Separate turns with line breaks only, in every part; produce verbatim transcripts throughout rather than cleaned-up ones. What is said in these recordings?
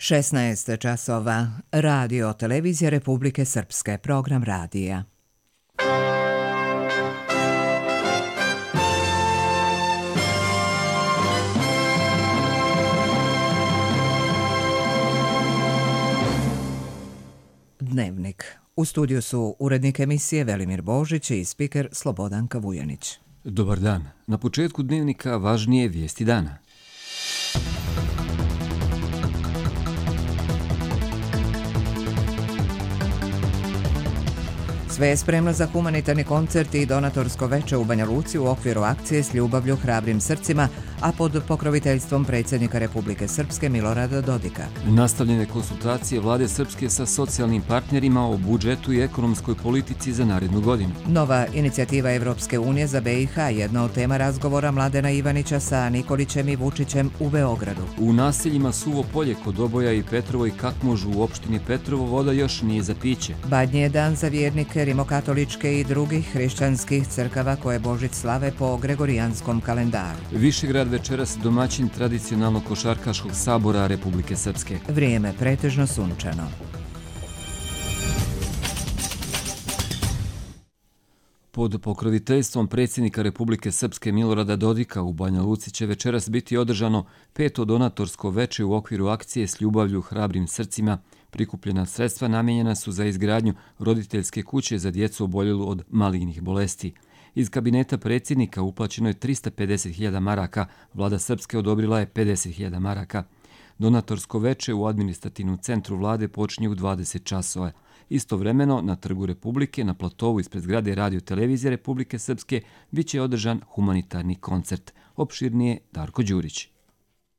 šesnaest časova. Radio Televizija Republike Srpske. Program radija. Dnevnik. U studiju su urednik emisije Velimir Božić i spiker Slobodanka Vujanić.
Dobar dan. Na početku dnevnika važnije vijesti dana.
Sve je spremno za humanitarni koncert i donatorsko veče u Banja Luci u okviru akcije S ljubavlju hrabrim srcima, a pod pokroviteljstvom predsjednika Republike Srpske Milorada Dodika.
Nastavljene konsultacije vlade Srpske sa socijalnim partnerima o budžetu i ekonomskoj politici za narednu godinu.
Nova inicijativa Evropske unije za B i H, jedna od tema razgovora Mladena Ivanića sa Nikolićem i Vučićem u Beogradu.
U naseljima Suvo polje kod Oboja i Petrovo i Kakmožu u opštini Petrovo voda još nije za piće.
Badnji je dan za vjernike rimokatoličke i drugih hrišćanskih crkava koje Božić slave po gregorijanskom kalendaru.
Višegrad večeras domaćin tradicionalnog košarkaškog sabora Republike Srpske.
Vrijeme pretežno sunčano.
Pod pokroviteljstvom predsjednika Republike Srpske Milorada Dodika u Banja Luci će večeras biti održano peto donatorsko veče u okviru akcije S ljubavlju hrabrim srcima. Prikupljena sredstva namijenjena su za izgradnju roditeljske kuće za djecu oboljelu od malignih bolesti. Iz kabineta predsjednika uplaćeno je trista pedeset hiljada maraka, vlada Srpske odobrila je pedeset hiljada maraka. Donatorsko veče u administrativnom centru vlade počinje u dvadeset časova. Istovremeno, na Trgu Republike, na platovu ispred zgrade Radio Televizije Republike Srpske, bit će održan humanitarni koncert. Opširnije Darko Đurić.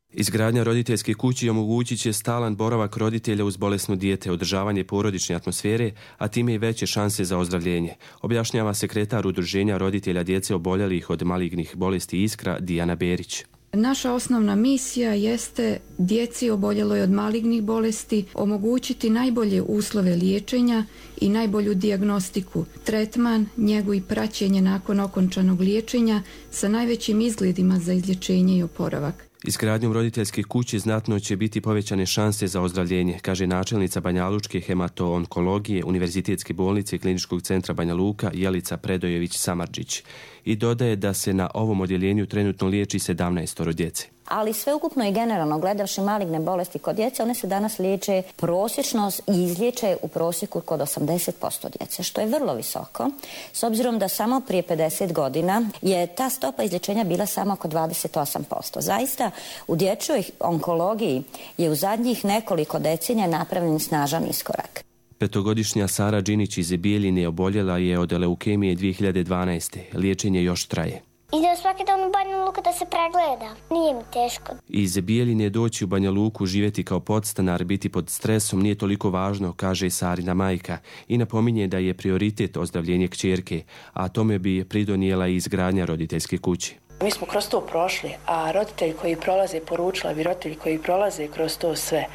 Izgradnja roditeljske kuće omogućit će stalan boravak roditelja uz bolesno dijete, održavanje porodične atmosfere, a time i veće šanse za ozdravljenje, objašnjava sekretar Udruženja roditelja djece oboljelih od malignih bolesti Iskra Dijana Berić.
Naša osnovna misija jeste djeci oboljeloj od malignih bolesti omogućiti najbolje uslove liječenja i najbolju dijagnostiku, tretman, njegu i praćenje nakon okončanog liječenja sa najvećim izgledima za izlječenje i oporavak.
Izgradnjom roditeljske kuće znatno će biti povećane šanse za ozdravljenje, kaže načelnica Banjalučke hemato-onkologije Univerzitetske bolnice i Kliničkog centra Banja Luka Jelica Predojević-Samardžić i dodaje da se na ovom odjeljenju trenutno liječi sedamnaestoro djece.
Ali sveukupno i generalno gledavši maligne bolesti kod djece, one se danas liječe prosječno i izliječe u prosjeku kod osamdeset posto djece, što je vrlo visoko, s obzirom da samo prije pedeset godina je ta stopa izlječenja bila samo oko dvadeset osam posto. Zaista u dječjoj onkologiji je u zadnjih nekoliko decenija napravljen snažan iskorak.
Petogodišnja Sara Đinić iz Bijeljine oboljela je od leukemije dvije hiljade dvanaeste. Liječenje još traje.
Idem svaki dan u Banja Luku da se pregleda. Nije mi teško.
Iz Bijeljine doći u Banja Luku, živjeti kao podstanar, biti pod stresom nije toliko važno, kaže Sarina majka i napominje da je prioritet ozdravljenje kćerke, a tome bi pridonijela i izgradnja roditeljske kuće.
Mi smo kroz to prošli, a roditelji koji prolaze, poručila bi roditelji koji prolaze kroz to sve,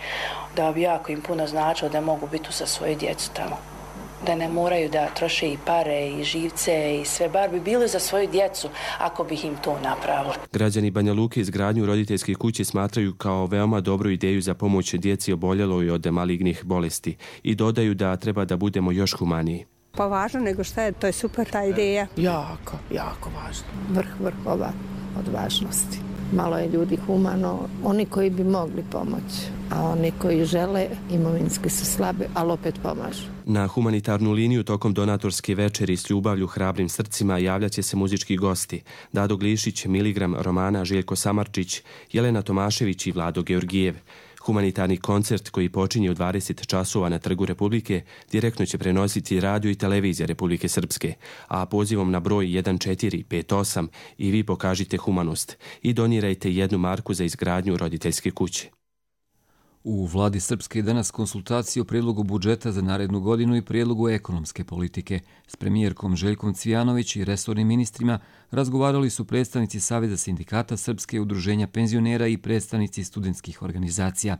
da bi jako im puno značilo da mogu biti sa svoje djecu tamo. Da ne moraju da troše i pare i živce i sve, bar bi bili za svoju djecu ako bi im to napravili.
Građani Banja Luke izgradnju roditeljske kuće smatraju kao veoma dobru ideju za pomoć djeci oboljeloj od malignih bolesti i dodaju da treba da budemo još humaniji.
Pa važno nego šta je, to je super ta ideja.
Jako, jako važno. Vrh vrhova od važnosti. Malo je ljudi humano, oni koji bi mogli pomoći, a oni koji žele imovinski su slabe, ali opet pomažu.
Na humanitarnu liniju tokom donatorske večeri S ljubavlju hrabrim srcima javljat će se muzički gosti Dado Glišić, Miligram Romana, Željko Samardžić, Jelena Tomašević i Vlado Georgijev. Humanitarni koncert koji počinje u dvadeset časova na Trgu Republike direktno će prenositi Radio i Televizija Republike Srpske, a pozivom na broj jedan četiri pet osam i vi pokažite humanost i donirajte jednu marku za izgradnju roditeljske kuće.
U vladi Srpske danas konsultacije o prijedlogu budžeta za narednu godinu i prijedlogu ekonomske politike. S premijerkom Željkom Cvijanović i resornim ministrima razgovarali su predstavnici Saveza sindikata Srpske, Udruženja penzionera i predstavnici studentskih organizacija.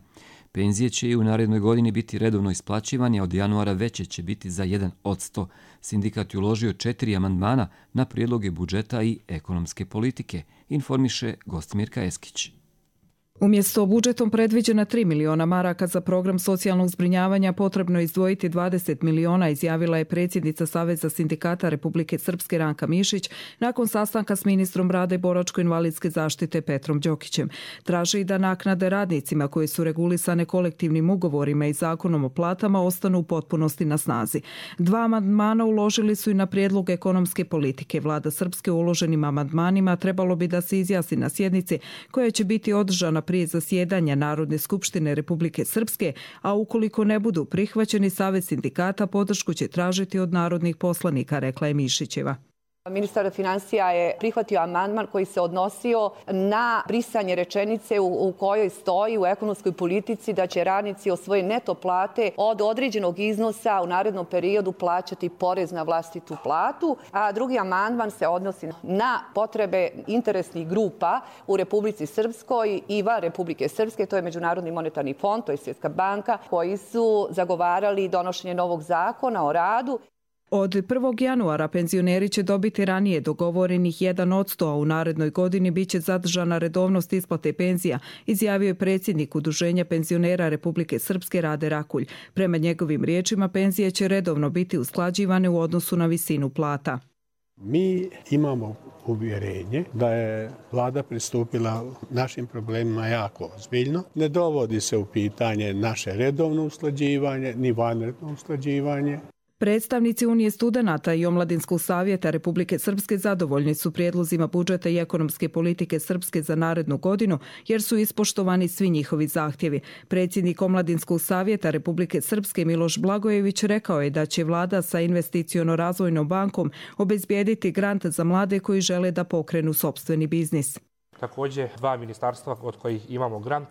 Penzije će i u narednoj godini biti redovno isplaćivane, a od januara veće će biti za jedan posto. Sindikat je uložio četiri amandmana na prijedloge budžeta i ekonomske politike, informiše Gostimirka Eskić.
Umjesto budžetom predviđena tri miliona maraka za program socijalnog zbrinjavanja potrebno je izdvojiti dvadeset miliona, izjavila je predsjednica Saveza sindikata Republike Srpske Ranka Mišić nakon sastanka s ministrom rada i boračko-invalidske zaštite Petrom Đokićem. Traži i da naknade radnicima koje su regulisane kolektivnim ugovorima i zakonom o platama ostanu u potpunosti na snazi. Dva amandmana uložili su i na prijedlog ekonomske politike. Vlada Srpske u uloženim amandmanima trebalo bi da se izjasni na sjednici koja će biti održana prije zasjedanja Narodne skupštine Republike Srpske, a ukoliko ne budu prihvaćeni, Savez sindikata podršku će tražiti od narodnih poslanika, rekla je Mišićeva.
Ministar financija je prihvatio amandman koji se odnosio na brisanje rečenice u, u kojoj stoji u ekonomskoj politici da će radnici od svoje neto plate od određenog iznosa u narednom periodu plaćati porez na vlastitu platu, a drugi amandman se odnosi na potrebe interesnih grupa u Republici Srpskoj i van Republike Srpske, to je Međunarodni monetarni fond, to je Svjetska banka, koji su zagovarali donošenje novog zakona o radu.
Od prvog januara penzioneri će dobiti ranije dogovorenih jedan posto, a u narednoj godini bit će zadržana redovnost isplate penzija, izjavio je predsjednik Udruženja penzionera Republike Srpske Rade Rakulj. Prema njegovim riječima, penzije će redovno biti usklađivane u odnosu na visinu plata.
Mi imamo uvjerenje da je vlada pristupila našim problemima jako ozbiljno. Ne dovodi se u pitanje naše redovno usklađivanje, ni vanredno usklađivanje.
Predstavnici Unije studenata i Omladinskog savjeta Republike Srpske zadovoljni su prijedlozima budžeta i ekonomske politike Srpske za narednu godinu, jer su ispoštovani svi njihovi zahtjevi. Predsjednik Omladinskog savjeta Republike Srpske Miloš Blagojević rekao je da će vlada sa investiciono-razvojnom bankom obezbijediti grant za mlade koji žele da pokrenu sopstveni biznis.
Također, dva ministarstva od kojih imamo grant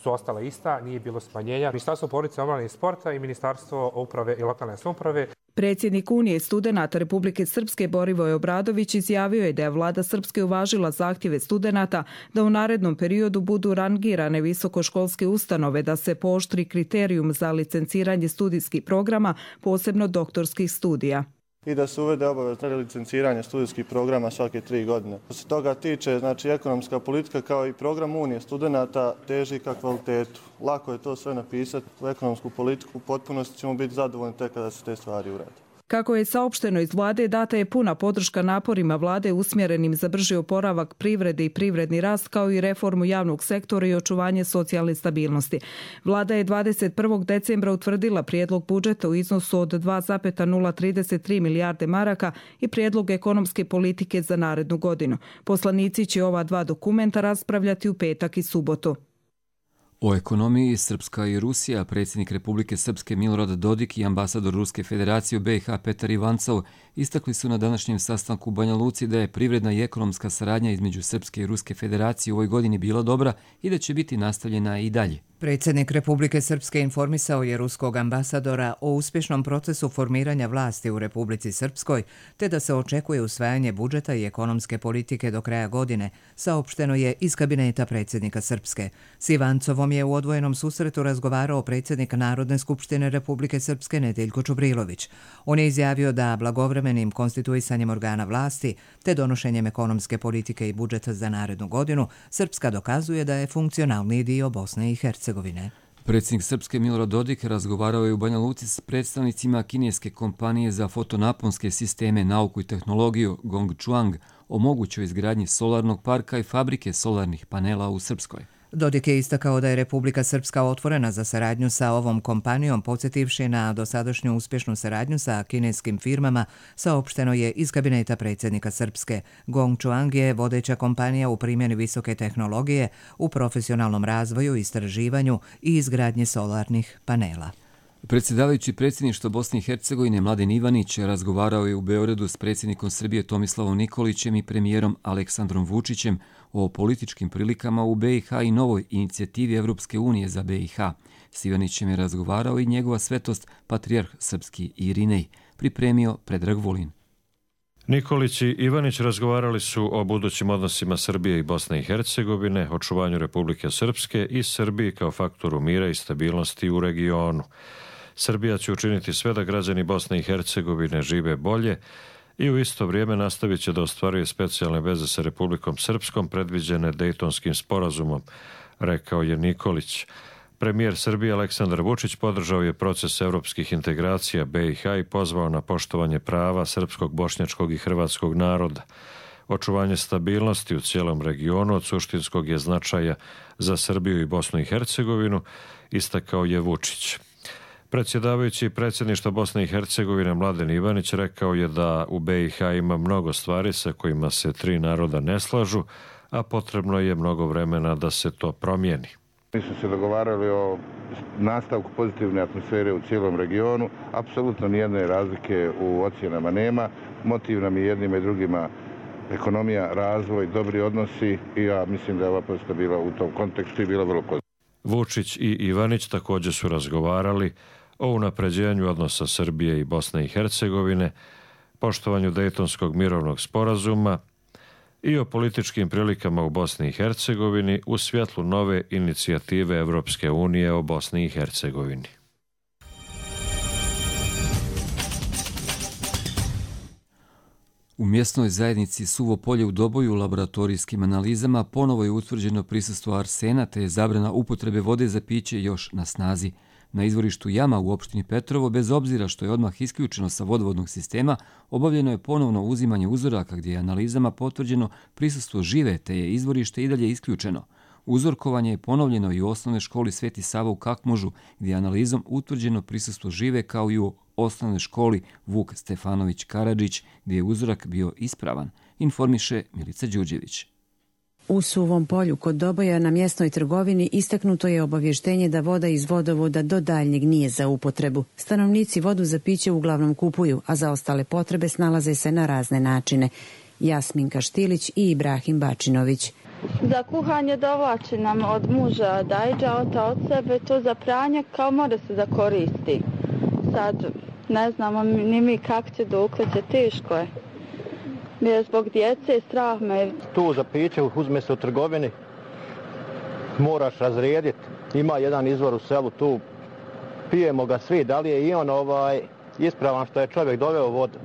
su ostala ista, nije bilo smanjenja. Ministarstvo porodice, omladine i sporta i Ministarstvo uprave i lokalne samouprave.
Predsjednik Unije studenata Republike Srpske Borivoje Obradović izjavio je da je vlada Srpske uvažila zahtjeve studenata da u narednom periodu budu rangirane visokoškolske ustanove, da se pooštri kriterijum za licenciranje studijskih programa, posebno doktorskih studija.
I da se uvede obavezno licenciranje studijskih programa svake tri godine. Što se toga tiče, znači ekonomska politika kao i program Unije studenata teži ka kvalitetu. Lako je to sve napisati u ekonomsku politiku, u potpunosti ćemo biti zadovoljni tek kada se te stvari urade.
Kako je saopšteno iz vlade, data je puna podrška naporima vlade usmjerenim za brži oporavak privrede i privredni rast, kao i reformu javnog sektora i očuvanje socijalne stabilnosti. Vlada je dvadeset prvog decembra utvrdila prijedlog budžeta u iznosu od dva zarez nula trideset tri milijarde maraka i prijedlog ekonomske politike za narednu godinu. Poslanici će ova dva dokumenta raspravljati u petak i subotu.
O ekonomiji Srpska i Rusija, predsjednik Republike Srpske Milorad Dodik i ambasador Ruske federacije u B i H Petar Ivancov istakli su na današnjem sastanku u Banja Luci da je privredna i ekonomska saradnja između Srpske i Ruske federacije u ovoj godini bila dobra i da će biti nastavljena i dalje.
Predsjednik Republike Srpske informisao je ruskog ambasadora o uspješnom procesu formiranja vlasti u Republici Srpskoj, te da se očekuje usvajanje budžeta i ekonomske politike do kraja godine, saopšteno je iz kabineta predsjednika Srpske. S Ivancovom je u odvojenom susretu razgovarao predsjednik Narodne skupštine Republike Srpske Nedeljko Čubrilović. On je izjavio da blagovremenim konstituisanjem organa vlasti te donošenjem ekonomske politike i budžeta za narednu godinu Srpska dokazuje da je funkcionalni dio Bosne i Hercegovine.
Predsjednik Srpske Milorad Dodik razgovarao je u Banja Luci s predstavnicima kineske kompanije za fotonaponske sisteme, nauku i tehnologiju Gongchuang o mogućoj izgradnji solarnog parka i fabrike solarnih panela u Srpskoj.
Dodik je istakao da je Republika Srpska otvorena za saradnju sa ovom kompanijom, podsjetivši na dosadašnju uspješnu saradnju sa kineskim firmama, saopšteno je iz kabineta predsjednika Srpske. Gongchuang je vodeća kompanija u primjeni visoke tehnologije, u profesionalnom razvoju, istraživanju i izgradnji solarnih panela.
Predsjedavajući predsjedništva Bosne i Hercegovine Mladen Ivanić razgovarao je u Beogradu s predsjednikom Srbije Tomislavom Nikolićem i premijerom Aleksandrom Vučićem o političkim prilikama u B i H i novoj inicijativi Evropske unije za B i H. S Ivanićem je razgovarao i njegova svetost patrijarh srpski Irinej, pripremio Predrag Vulin.
Nikolić i Ivanić razgovarali su o budućim odnosima Srbije i Bosne i Hercegovine, očuvanju Republike Srpske i Srbiji kao faktoru mira i stabilnosti u regionu. Srbija će učiniti sve da građani Bosne i Hercegovine žive bolje i u isto vrijeme nastavit će da ostvaruje specijalne veze sa Republikom Srpskom predviđene Dejtonskim sporazumom, rekao je Nikolić. Premijer Srbije Aleksandar Vučić podržao je proces evropskih integracija B i H i pozvao na poštovanje prava srpskog, bošnjačkog i hrvatskog naroda. Očuvanje stabilnosti u cijelom regionu od suštinskog je značaja za Srbiju i Bosnu i Hercegovinu, istakao je Vučić. Predsjedavajući predsjedništva Bosne i Hercegovine Mladen Ivanić rekao je da u B i H ima mnogo stvari sa kojima se tri naroda ne slažu, a potrebno je mnogo vremena da se to promijeni.
Mi smo se dogovarali o nastavku pozitivne atmosfere u cijelom regionu. Apsolutno nijedne razlike u ocjenama nema. Motiv nam je jednima i drugima ekonomija, razvoj, dobri odnosi i ja mislim da je ova posjeta bila u tom kontekstu i bila vrlo pozitivna.
Vučić i Ivanić također su razgovarali o unapređenju odnosa Srbije i Bosne i Hercegovine, poštovanju Dejtonskog mirovnog sporazuma i o političkim prilikama u Bosni i Hercegovini u svjetlu nove inicijative Evropske unije o Bosni i Hercegovini.
U mjesnoj zajednici Suvo polje u Doboju u laboratorijskim analizama ponovo je utvrđeno prisustvo arsena te je zabrana upotrebe vode za piće još na snazi. Na izvorištu Jama u opštini Petrovo, bez obzira što je odmah isključeno sa vodovodnog sistema, obavljeno je ponovno uzimanje uzoraka gdje je analizama potvrđeno prisustvo žive te je izvorište i dalje isključeno. Uzorkovanje je ponovljeno i u osnovnoj školi Sveti Sava u Kakmužu, gdje je analizom utvrđeno prisustvo žive kao i u osnovnoj školi Vuk Stefanović Karadžić, gdje je uzorak bio ispravan, informiše Milica Đurđević.
U Suvom polju kod Doboja na mjesnoj trgovini istaknuto je obavještenje da voda iz vodovoda do daljnjeg nije za upotrebu. Stanovnici vodu za piće uglavnom kupuju, a za ostale potrebe snalaze se na razne načine. Jasminka Štilić i Ibrahim Bačinović.
Za kuhanje dovlači nam od muža dajđa, ota od sebe, to za pranje kao mora se da koristi. Sad ne znamo ni mi kako će dokle, teško je. Jer zbog djece strah me.
Tu za piće uzme se u trgovini, moraš razrijediti. Ima jedan izvor u selu, tu pijemo ga svi. Da li je i on ovaj, ispravan što je čovjek doveo vodu?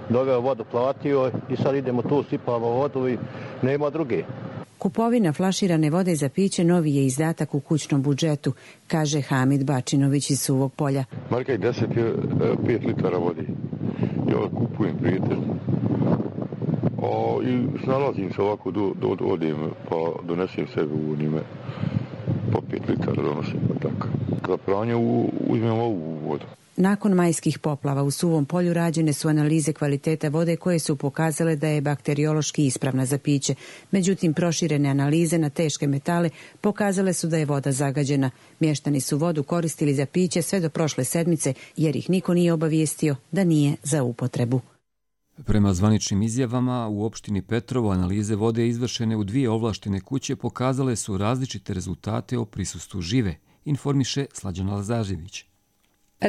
Doveo vodu, platio i sad idemo tu, sipamo vodu i nema druge.
Kupovina flaširane vode za piće novi je izdatak u kućnom budžetu, kaže Hamid Bačinović iz Suvog polja.
Marka i deset je pet litara vode. Ja kupujem prijatelj. O, i snalazim se ovako, do, do, odem, pa donesem sebe u njime, po pet litara donosim, pa tako. Za pranje uzmem ovu vodu.
Nakon majskih poplava u Suvom polju rađene su analize kvaliteta vode koje su pokazale da je bakteriološki ispravna za piće. Međutim, proširene analize na teške metale pokazale su da je voda zagađena. Mještani su vodu koristili za piće sve do prošle sedmice jer ih niko nije obavijestio da nije za upotrebu.
Prema zvaničnim izjavama, u opštini Petrovo analize vode izvršene u dvije ovlaštene kuće pokazale su različite rezultate o prisustvu žive, informiše Slađana Lazarević.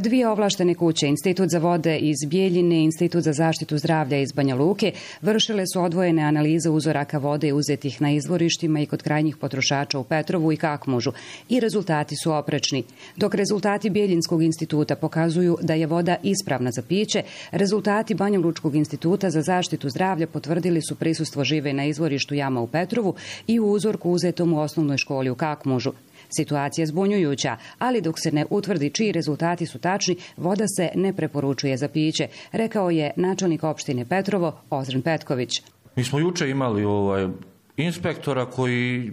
Dvije ovlaštene kuće, Institut za vode iz Bijeljine i Institut za zaštitu zdravlja iz Banja Luke, vršile su odvojene analize uzoraka vode uzetih na izvorištima i kod krajnjih potrošača u Petrovu i Kakmužu i rezultati su oprečni. Dok rezultati Bijeljinskog instituta pokazuju da je voda ispravna za piće, rezultati Banja Lučkog instituta za zaštitu zdravlja potvrdili su prisustvo žive na izvorištu Jama u Petrovu i u uzorku uzetom u osnovnoj školi u Kakmužu. Situacija je zbunjujuća, ali dok se ne utvrdi čiji rezultati su tačni, voda se ne preporučuje za piće, rekao je načelnik opštine Petrovo Ozren Petković.
Mi smo juče imali ovaj inspektora koji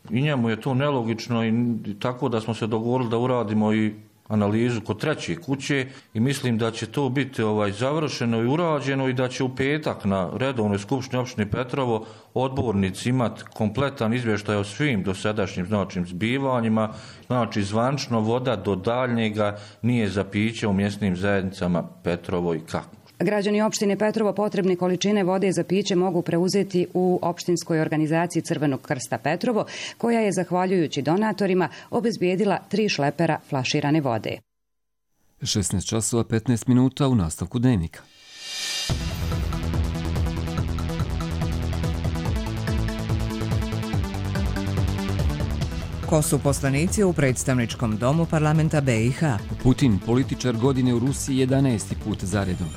i njemu je to nelogično i tako da smo se dogovorili da uradimo i analizu kod treće kuće i mislim da će to biti ovaj završeno i urađeno i da će u petak na redovnoj skupštini opštine Petrovo odbornici imati kompletan izvještaj o svim dosadašnjim značim zbivanjima, znači zvančno voda do daljnjega nije za piće u mjesnim zajednicama Petrovo i Kakmuž.
Građani opštine Petrovo potrebne količine vode za piće mogu preuzeti u opštinskoj organizaciji Crvenog krsta Petrovo, koja je, zahvaljujući donatorima, obezbijedila tri šlepera flaširane vode.
šesnaest časova petnaest minuta u nastavku dnevnika.
Ko su poslanici u predstavničkom domu parlamenta B i H?
Putin, političar godine u Rusiji jedanaesti put zaredom.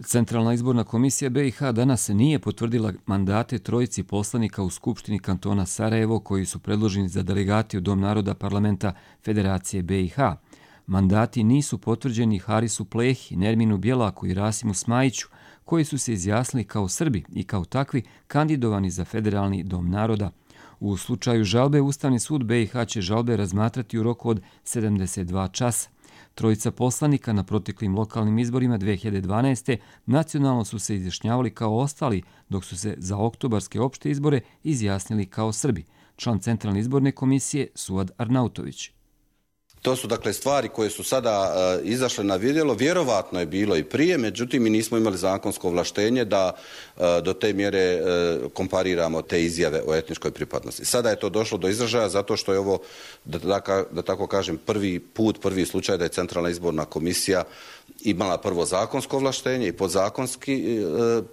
Centralna izborna komisija B i H danas nije potvrdila mandate trojici poslanika u Skupštini kantona Sarajevo koji su predloženi za delegati u Dom naroda parlamenta Federacije B i H. Mandati nisu potvrđeni Harisu Plehi, Nerminu Bjelaku i Rasimu Smajiću, koji su se izjasnili kao Srbi i kao takvi kandidovani za Federalni Dom naroda. U slučaju žalbe, Ustavni sud B i H će žalbe razmatrati u roku od sedamdeset dva časa. Trojica poslanika na proteklim lokalnim izborima dve hiljade dvanaeste. nacionalno su se izjašnjavali kao ostali, dok su se za oktobarske opšte izbore izjasnili kao Srbi. Član Centralne izborne komisije Suad Arnautović.
To su dakle stvari koje su sada uh, izašle na vidjelo, vjerovatno je bilo i prije, međutim mi nismo imali zakonsko ovlaštenje da uh, do te mjere uh, kompariramo te izjave o etničkoj pripadnosti. Sada je to došlo do izražaja zato što je ovo, da, da, da tako kažem, prvi put, prvi slučaj da je Centralna izborna komisija imala prvo zakonsko ovlaštenje i podzakonski e,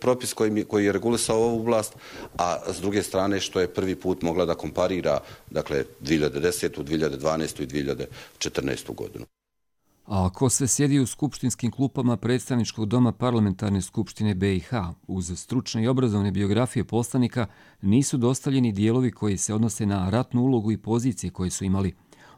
propis koji, koji je regulisao ovu oblast, a s druge strane što je prvi put mogla da komparira dakle dvije hiljade desetu, dvije hiljade dvanaestu i dvije hiljade četrnaestu godinu.
A ako se sjedi u skupštinskim klupama predstavničkog doma parlamentarne skupštine B i H, uz stručne i obrazovne biografije poslanika nisu dostavljeni dijelovi koji se odnose na ratnu ulogu i pozicije koje su imali.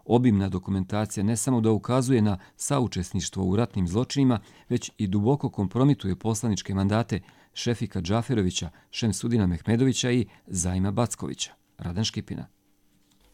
Obimna dokumentacija ne samo da ukazuje na saučesništvo u ratnim zločinima, već i duboko kompromituje poslaničke mandate Šefika Džaferovića, Šemsudina Mehmedovića i Zaima Backovića. Radan Škipina.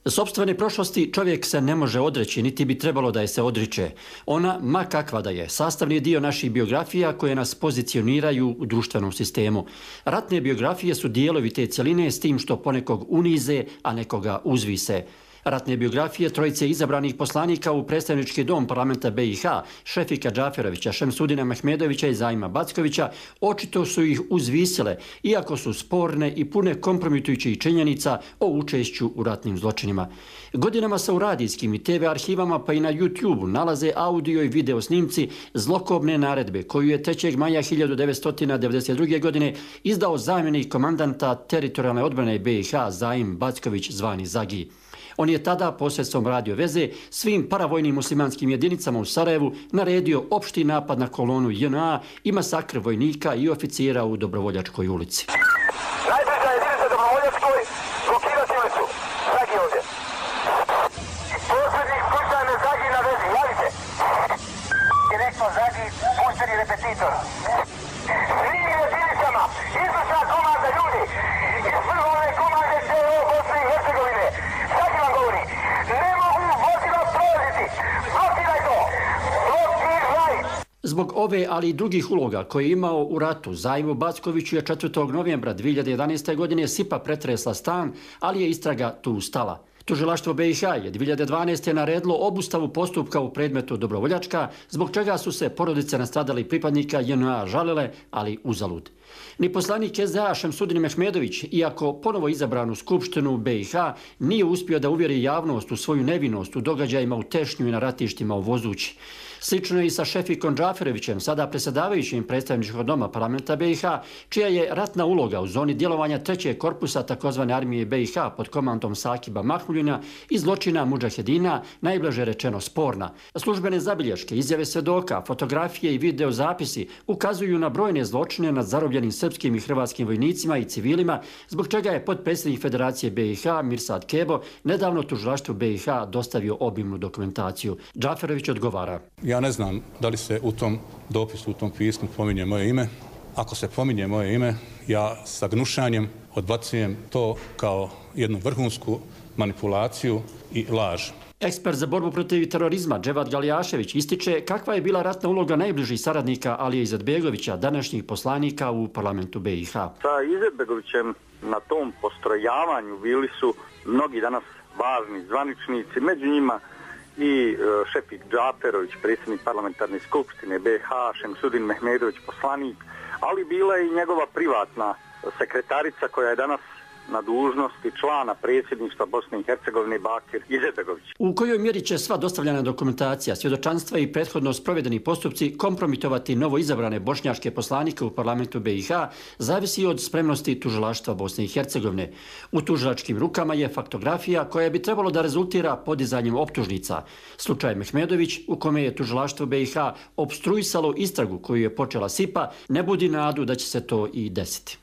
Sopstvene prošlosti čovjek se ne može odreći, niti bi trebalo da je se odriče. Ona, ma kakva da je, sastavni dio naših biografija koje nas pozicioniraju u društvenom sistemu. Ratne biografije su dijelovi te cjeline s tim što ponekog unize, a nekoga uzvise. Ratne biografije trojice izabranih poslanika u predstavnički dom parlamenta B i H, Šefika Džaferovića, Šemsudina Mehmedovića i Zaima Backovića, očito su ih uzvisile, iako su sporne i pune kompromitujućih činjenica o učešću u ratnim zločinima. Godinama se u radijskim i te ve arhivama pa i na YouTube nalaze audio i video snimci zlokobne naredbe koju je trećeg maja hiljadu devetsto devedeset druge. godine izdao zamjenik komandanta teritorijalne odbrane B i H Zaim Backović zvani Zagi. On je tada posredstvom radio veze svim paravojnim muslimanskim jedinicama u Sarajevu naredio opšti napad na kolonu J N A i masakr vojnika i oficira u Dobrovoljačkoj ulici.
Najbliža jedinica Dobrovoljačkoj, blokirati ulicu. Zagi ovdje. Posljednik slučajno Zagi na vezi, javite. Direktno Zagi, pušteni repetitor. Svim jedinicama, izvršna komanda ljudi, iz prvove komande C O Bosne i Hercegovine. Zagi vam govori, ne mogu vozila prolaziti, blokiraj to, blokiraj.
Zbog ove, ali i drugih uloga koje je imao u ratu, Zaimu Backoviću je četvrtog novembra dvije hiljade jedanaeste. godine sipa pretresla stan, ali je istraga tu stala. Tužilaštvo B i H je dvije hiljade dvanaeste. naredilo obustavu postupka u predmetu Dobrovoljačka, zbog čega su se porodice nastradalih pripadnika J N A žalile, ali uzalud. Ni poslanik S D A Šemsudin Mehmedović, iako ponovo izabran u Skupštinu B i H, nije uspio da uvjeri javnost u svoju nevinost u događajima u Tešnju i na ratištima u Vozući. Slično je i sa Šefikom Džaferovićem, sada predsjedavajućim predstavničkog doma parlamenta B i H, čija je ratna uloga u zoni djelovanja trećeg korpusa takozvane armije B i H pod komandom Sakiba Mahmuljina i zločina mudžahedina, najblaže rečeno sporna. Službene zabilješke, izjave svedoka, fotografije i videozapisi ukazuju na brojne zločine nad zarobljenim srpskim i hrvatskim vojnicima i civilima, zbog čega je potpredsjednik Federacije B i H Mirsad Kebo nedavno tužilaštvu B i H dostavio obimnu dokumentaciju. Džaferović odgovara.
Ja ne znam da li se u tom dopisu, u tom pismu pominje moje ime. Ako se pominje moje ime, ja sa gnušanjem odbacujem to kao jednu vrhunsku manipulaciju i laž.
Ekspert za borbu protiv terorizma Dževad Galijašević ističe kakva je bila ratna uloga najbližih saradnika Alije Izetbegovića, današnjih poslanika u parlamentu B i H.
Sa Izetbegovićem na tom postrojavanju bili su mnogi danas važni zvaničnici, među njima i Šefik Džaferović, predsjednik parlamentarne skupštine B i H, Šemsudin Mehmedović, poslanik, ali bila je i njegova privatna sekretarica koja je danas na dužnosti člana predsjedništva Bosne i Hercegovine Bakir Izetbegović.
U kojoj mjeri će sva dostavljena dokumentacija, svjedočanstva i prethodno sprovedeni postupci kompromitovati novo izabrane bošnjačke poslanike u parlamentu B i H zavisi od spremnosti tužilaštva Bosne i Hercegovine. U tužilačkim rukama je faktografija koja bi trebalo da rezultira podizanjem optužnica. Slučaj Mehmedović, u kome je tužilaštvo B i H opstruisalo istragu koju je počela S I P A, ne budi nadu da će se to i desiti.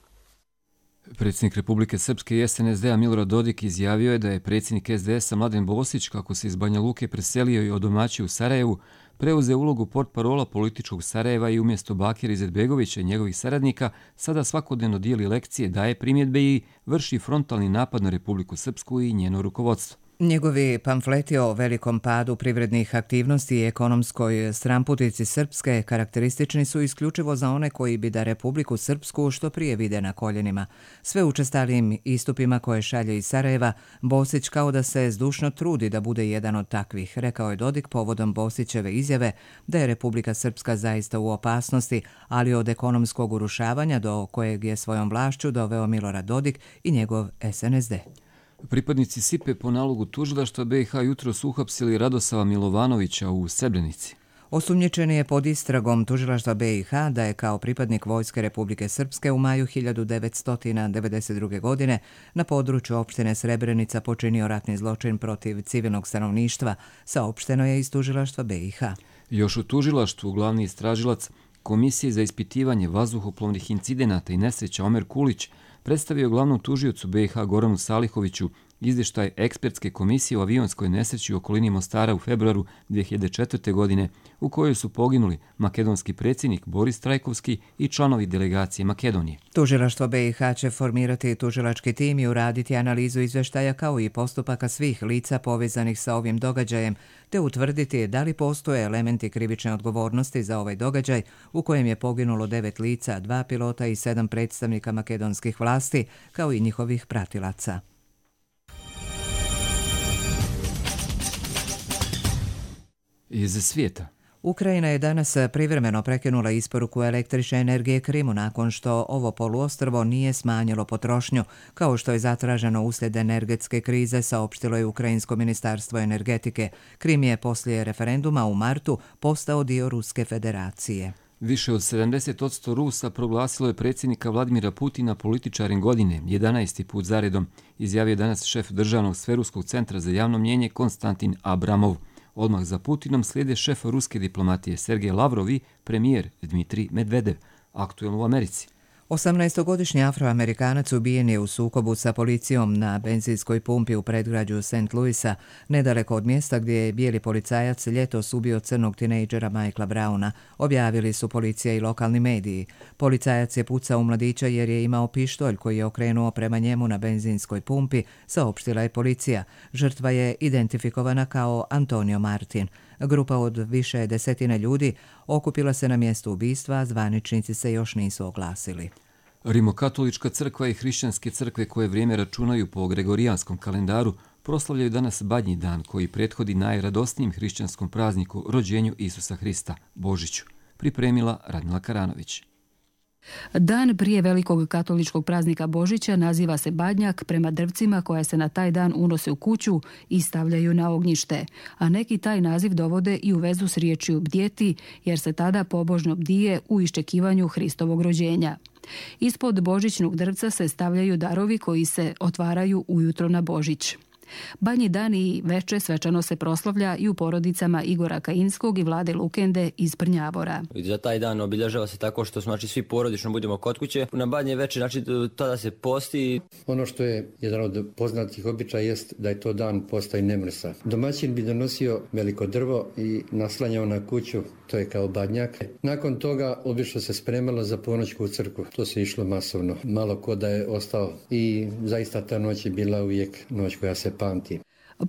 Predsjednik Republike Srpske i S N S D-a Milorad Dodik izjavio je da je predsjednik S D S-a Mladen Bosić, kako se iz Banja Luke preselio i odomaćio u Sarajevu, preuzeo ulogu portparola političkog Sarajeva i umjesto Bakira Izetbegovića i njegovih saradnika sada svakodnevno dijeli lekcije, daje primjedbe i vrši frontalni napad na Republiku Srpsku i njeno rukovodstvo.
Njegovi pamfleti o velikom padu privrednih aktivnosti i ekonomskoj stramputici Srpske karakteristični su isključivo za one koji bi da Republiku Srpsku što prije vide na koljenima. Sve učestalijim istupima koje šalje iz Sarajeva, Bosić kao da se zdušno trudi da bude jedan od takvih, rekao je Dodik povodom Bosićeve izjave da je Republika Srpska zaista u opasnosti, ali od ekonomskog urušavanja do kojeg je svojom vlašću doveo Milorad Dodik i njegov S N S D.
Pripadnici S I P E po nalogu tužilaštva B i H jutros uhapsili Radosava Milovanovića u Srebrenici.
Osumnjičen je pod istragom tužilaštva B i H da je kao pripadnik Vojske Republike Srpske u maju hiljadu devetsto devedeset druge. godine na području opštine Srebrenica počinio ratni zločin protiv civilnog stanovništva, saopšteno je iz tužilaštva B i H.
Još u tužilaštvu glavni istražilac Komisije za ispitivanje vazduhoplovnih incidenata i nesreća Omer Kulić predstavio glavnom tužiocu B i H Goranu Salihoviću izvještaj ekspertske komisije o avionskoj nesreći u okolini Mostara u februaru dvije hiljade četvrte. godine, u kojoj su poginuli makedonski predsjednik Boris Trajkovski i članovi delegacije Makedonije.
Tužilaštvo B i H će formirati tužilački tim i uraditi analizu izvještaja kao i postupaka svih lica povezanih sa ovim događajem, te utvrditi da li postoje elementi krivične odgovornosti za ovaj događaj u kojem je poginulo devet lica, dva pilota i sedam predstavnika makedonskih vlasti, kao i njihovih pratilaca.
Iz svijeta.
Ukrajina je danas privremeno prekinula isporuku električne energije Krimu nakon što ovo poluostrvo nije smanjilo potrošnju, kao što je zatraženo uslijed energetske krize, saopštilo je Ukrajinsko ministarstvo energetike. Krim je poslije referenduma u martu postao dio Ruske federacije.
Više od sedamdeset posto Rusa proglasilo je predsjednika Vladimira Putina političarim godine, jedanaesti put zaredom, izjavio danas šef Državnog sveruskog centra za javno mnjenje Konstantin Abramov. Odmah za Putinom slijede šef ruske diplomatije Sergej Lavrov i premijer Dmitrij Medvedev, aktuelno u Americi.
osamnaestogodišnji Afroamerikanac ubijen je u sukobu sa policijom na benzinskoj pumpi u predgrađu Saint Louisa, nedaleko od mjesta gdje je bijeli policajac ljetos ubio crnog tinejdžera Michaela Browna, objavili su policija i lokalni mediji. Policajac je pucao u mladića jer je imao pištolj koji je okrenuo prema njemu na benzinskoj pumpi, saopštila je policija. Žrtva je identifikovana kao Antonio Martin. Grupa od više desetine ljudi okupila se na mjestu ubistva, a zvaničnici se još nisu oglasili.
Rimokatolička crkva i hrišćanske crkve koje vrijeme računaju po gregorijanskom kalendaru proslavljaju danas Badnji dan koji prethodi najradosnijem hrišćanskom prazniku rođenju Isusa Hrista, Božiću. Pripremila Radmila Karanović.
Dan prije velikog katoličkog praznika Božića naziva se Badnjak prema drvcima koja se na taj dan unose u kuću i stavljaju na ognjište, a neki taj naziv dovode i u vezu s riječju bdjeti, jer se tada pobožno bdije u iščekivanju Hristovog rođenja. Ispod božićnog drvca se stavljaju darovi koji se otvaraju ujutro na Božić. Badnji dan i veče svečano se proslavlja i u porodicama Igora Kajinskog i Vlade Lukende iz Prnjavora.
Za taj dan obilježava se tako što znači, svi porodično budemo kod kuće. Na Badnje veče znači, tada se posti.
Ono što je jedan od poznatih običaja jest da je to dan posta i nemrsa. Domaćin bi donosio veliko drvo i naslanjao na kuću, to je kao badnjak. Nakon toga obično se spremalo za ponoć u crkvu. To se išlo masovno. Malo ko da je ostao i zaista ta noć je bila uvijek noć koja se pamti.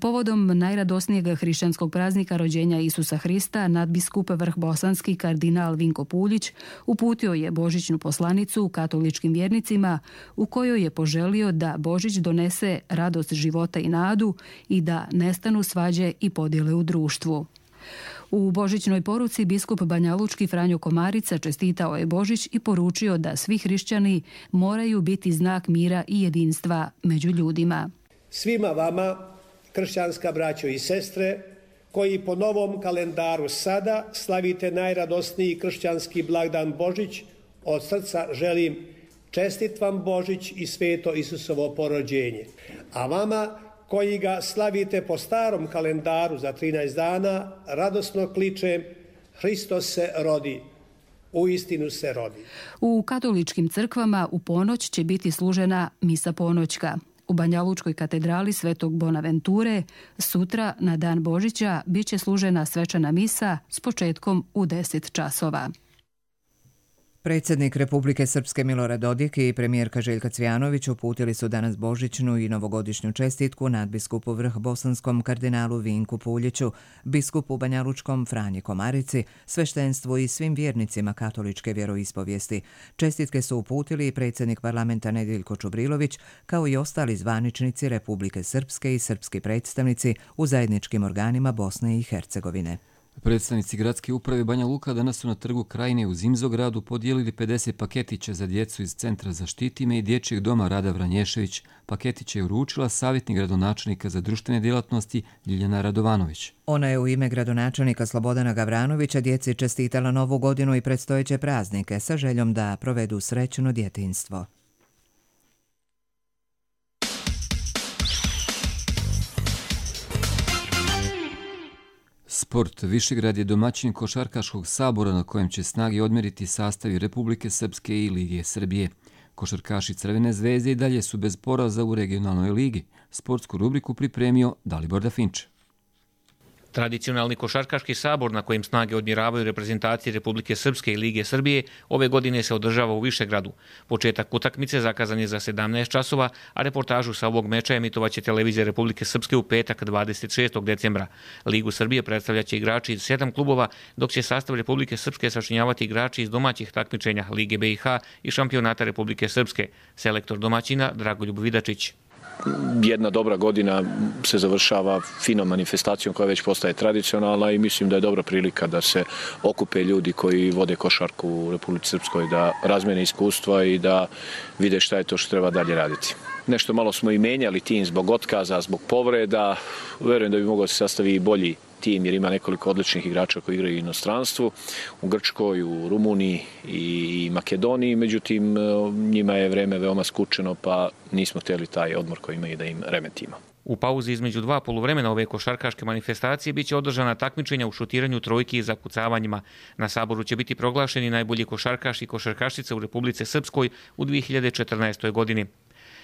Povodom najradosnijeg hrišćanskog praznika rođenja Isusa Hrista, nadbiskup vrhbosanski kardinal Vinko Puljić uputio je božićnu poslanicu katoličkim vjernicima u kojoj je poželio da Božić donese radost života i nadu i da nestanu svađe i podjele u društvu. U božićnoj poruci biskup banjalučki Franjo Komarica čestitao je Božić i poručio da svi hrišćani moraju biti znak mira i jedinstva među ljudima.
Svima vama, kršćanska braćo i sestre, koji po novom kalendaru sada slavite najradosniji kršćanski blagdan Božić, od srca želim čestit vam Božić i sveto Isusovo porođenje. A vama koji ga slavite po starom kalendaru za trinaest dana, radosno kličem Hristos se rodi. U istinu se rodi.
U katoličkim crkvama u ponoć će biti služena misa ponoćka. U Banjalučkoj katedrali Svetog Bonaventure sutra na dan Božića bit će služena svečana misa s početkom u deset časova.
Predsjednik Republike Srpske Milorad Dodik i premijerka Željka Cvijanović uputili su danas božićnu i novogodišnju čestitku nadbiskupu Vrh bosanskom kardinalu Vinku Puljiću, biskupu Banjalučkom Franji Komarici, sveštenstvu i svim vjernicima katoličke vjeroispovijesti. Čestitke su uputili i predsjednik parlamenta Nediljko Čubrilović, kao i ostali zvaničnici Republike Srpske i srpski predstavnici u zajedničkim organima Bosne i Hercegovine.
Predstavnici gradske uprave Banja Luka danas su na trgu Krajine u Zimzogradu podijelili pedeset paketića za djecu iz Centra Zaštiti me i Dječjeg doma Rada Vranješević. Paketiće je uručila savjetnik gradonačelnika za društvene djelatnosti Ljiljana Radovanović.
Ona je u ime gradonačelnika Slobodana Gavranovića djeci čestitala novu godinu i predstojeće praznike sa željom da provedu srećno djetinjstvo.
Sport. Višegrad je domaćin košarkaškog sabora na kojem će snage odmeriti sastavi Republike Srpske i Lige Srbije. Košarkaši Crvene zvezde i dalje su bez poraza u regionalnoj ligi. Sportsku rubriku pripremio Dalibor Dafinč.
Tradicionalni košarkaški sabor na kojem snage odmjeravaju reprezentacije Republike Srpske i Lige Srbije ove godine se održava u Višegradu. Početak utakmice zakazan je za sedamnaest časova, a reportažu sa ovog meča emitovaće televizija Republike Srpske u petak dvadeset šestog decembra. Ligu Srbije predstavljaće igrači iz sedam klubova, dok će sastav Republike Srpske sačinjavati igrači iz domaćih takmičenja Lige B i H i šampionata Republike Srpske. Selektor domaćina Dragoljub Vidačić.
Jedna dobra godina se završava finom manifestacijom koja već postaje tradicionalna i mislim da je dobra prilika da se okupe ljudi koji vode košarku u Republici Srpskoj, da razmene iskustva i da vide šta je to što treba dalje raditi. Nešto malo smo i menjali tim zbog otkaza, zbog povreda. Verujem da bi mogao se sastaviti i bolji tim jer ima nekoliko odličnih igrača koji igraju u inostranstvu, u Grčkoj, u Rumuniji i Makedoniji, međutim njima je vreme veoma skučeno pa nismo htjeli taj odmor koji imaju da im remetimo.
U pauzi između dva poluvremena ove košarkaške manifestacije biće održana takmičenja u šutiranju trojki i zakucavanjima. Na saboru će biti proglašeni najbolji košarkaš i košarkašica u Republici Srpskoj u dvije hiljade četrnaestoj godini.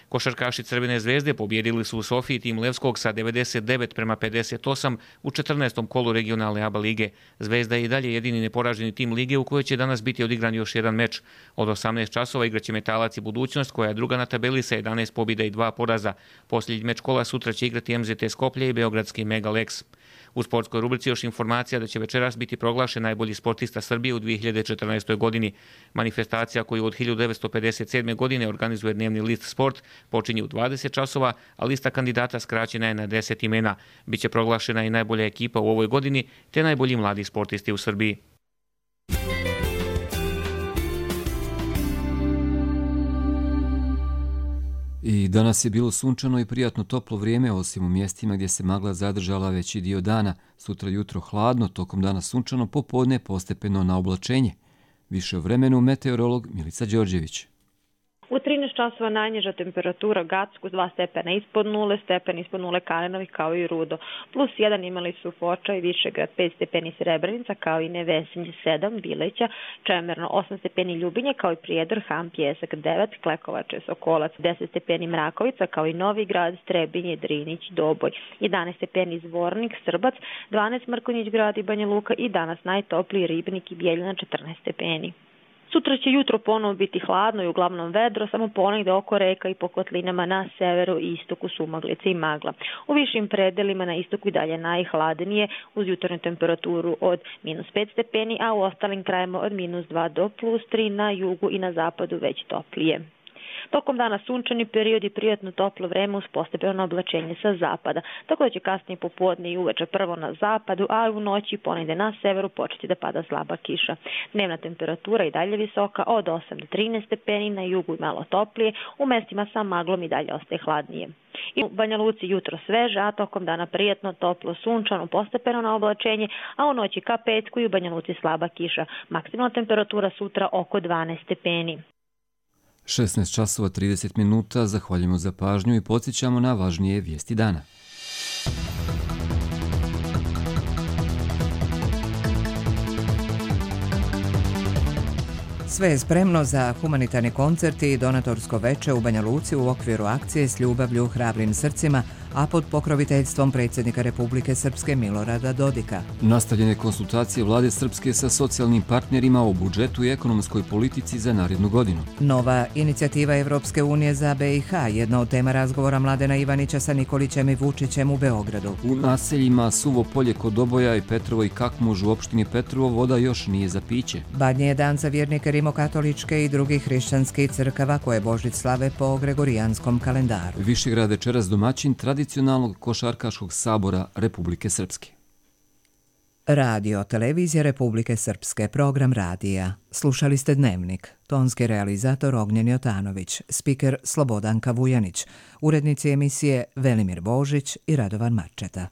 Košarkaši Crvene zvezde pobjedili su u Sofiji tim Levskog sa devedeset devet prema pedeset osam u četrnaestom kolu regionalne A B A lige. Zvezda je i dalje jedini neporaženi tim lige u kojoj će danas biti odigran još jedan meč. Od osamnaest časova igraće Metalac i Budućnost koja je druga na tabeli sa jedanaest pobjeda i dva poraza. Posljednji meč kola sutra će igrati M Z T Skoplje i beogradski Megalex. U sportskoj rubrici još informacija da će večeras biti proglašen najbolji sportista Srbije u dvije hiljade četrnaestoj godini. Manifestacija koju od hiljadu devetsto pedeset sedme godine organizuje dnevni list Sport počinje u dvadeset časova, a lista kandidata skraćena je na deset imena. Biće proglašena i najbolja ekipa u ovoj godini te najbolji mladi sportisti u Srbiji.
I danas je bilo sunčano i prijatno toplo vrijeme, osim u mjestima gdje se magla zadržala veći dio dana. Sutra jutro hladno, tokom dana sunčano, popodne postepeno na oblačenje. Više o vremenu meteorolog Milica Đorđević.
U trinaest časova najniža temperatura Gacku dva stepena ispod nule, stepen ispod nule Kanenovi kao i Rudo. Plus jedan imali su Foča i Višegrad, pet stepeni Srebrenica kao i Nevesinje sedam, Bileća, Čemerno osam stepeni Ljubinje kao i Prijedor, Ham, Pjesak devet, Klekovače, Sokolac deset stepeni Mrakovica kao i Novi Grad, Strebinje, Drinić, Doboj, jedanaest stepeni Zvornik, Srbac, dvanaest Mrkonjić Grad i Banja Luka i danas najtopliji Ribnik i Bijeljina četrnaest stepeni. Sutra će jutro ponovo biti hladno i uglavnom vedro, samo ponegde oko reka i po kotlinama na severu i istoku sumaglice i magla. U višim predelima na istoku i dalje najhladnije uz jutarnju temperaturu od minus pet stepeni, a u ostalim krajima od minus dva do plus tri, na jugu i na zapadu već toplije. Tokom dana sunčani period i prijatno toplo vreme uz postepeno oblačenje sa zapada, tako da će kasnije popodne i uveče prvo na zapadu, a u noći ponegde na severu početi da pada slaba kiša. Dnevna temperatura i dalje visoka od osam do trinaest stepeni, na jugu i malo toplije, u mestima sa maglom i dalje ostaje hladnije. I u Banja Luci jutro sveže, a tokom dana prijatno, toplo, sunčano, postepeno na oblačenje, a u noći ka petku i u Banja Luci slaba kiša. Maksimalna temperatura sutra oko dvanaest stepeni.
šesnaest časova trideset minuta, zahvaljujemo za pažnju i podsjećamo na važnije vijesti dana.
Sve je spremno za humanitarni koncert i donatorsko veče u Banja Luci u okviru akcije S ljubavlju hrabrim srcima, a pod pokroviteljstvom predsjednika Republike Srpske Milorada Dodika.
Nastavljene konsultacije vlade Srpske sa socijalnim partnerima o budžetu i ekonomskoj politici za narednu godinu.
Nova inicijativa Evropske unije za B i H, jedna od tema razgovora Mladena Ivanića sa Nikolićem i Vučićem u Beogradu.
U naseljima Suvo polje kod Doboja i Petrovo i Kakmuž u opštini Petrovo voda još nije za piće.
Badnji je dan za vjernike rimokatoličke i drugih hrišćanskih crkava koje Božić slave po gregorijanskom kalendaru.
Višegrad večeras domaćin tradicionalnog košarkaškog sabora Republike Srpske.
Radio, televizija Republike Srpske, program radija. Slušali ste Dnevnik. Tonski realizator Ognjen Jotanović, spiker Slobodanka Vujanić, urednici emisije Velimir Božić i Radovan Marčeta.